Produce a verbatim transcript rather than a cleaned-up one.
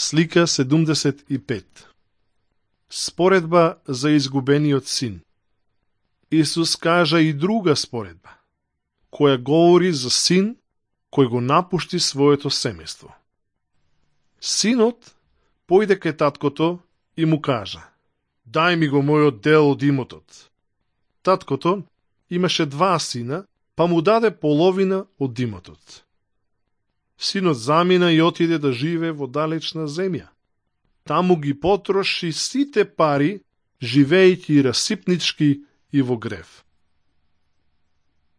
Слика седумдесет и пет. Споредба за изгубениот син. Исус кажа и друга споредба, која говори за син кој го напушти своето семејство. Синот појде кај таткото и му кажа: "Дај ми го мојот дел од имотот." Таткото имаше два сина, па му даде половина од имотот. Синот замина и отиде да живее во далечна земја. Таму ги потроши сите пари, живеејќи расипнички и во грев.